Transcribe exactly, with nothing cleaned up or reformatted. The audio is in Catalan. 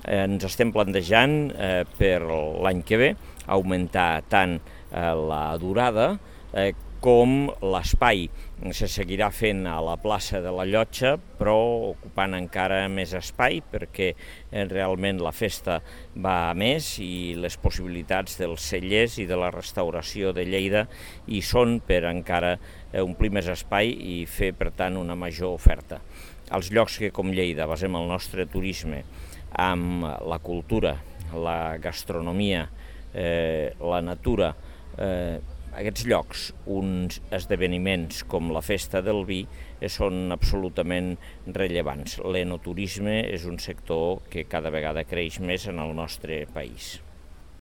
Eh, ens estem plantejant eh, per l'any que ve augmentar tant eh, la durada eh, com l'espai. Se seguirà fent a la plaça de la Llotja, però ocupant encara més espai, perquè eh, realment la festa va a més i les possibilitats dels cellers i de la restauració de Lleida hi són per encara eh, omplir més espai i fer, per tant, una major oferta. Els llocs que, com Lleida, basem el nostre turisme amb la cultura, la gastronomia, eh, la natura, eh, aquests llocs, uns esdeveniments com la Festa del Vi són absolutament rellevants. L'enoturisme és un sector que cada vegada creix més en el nostre país.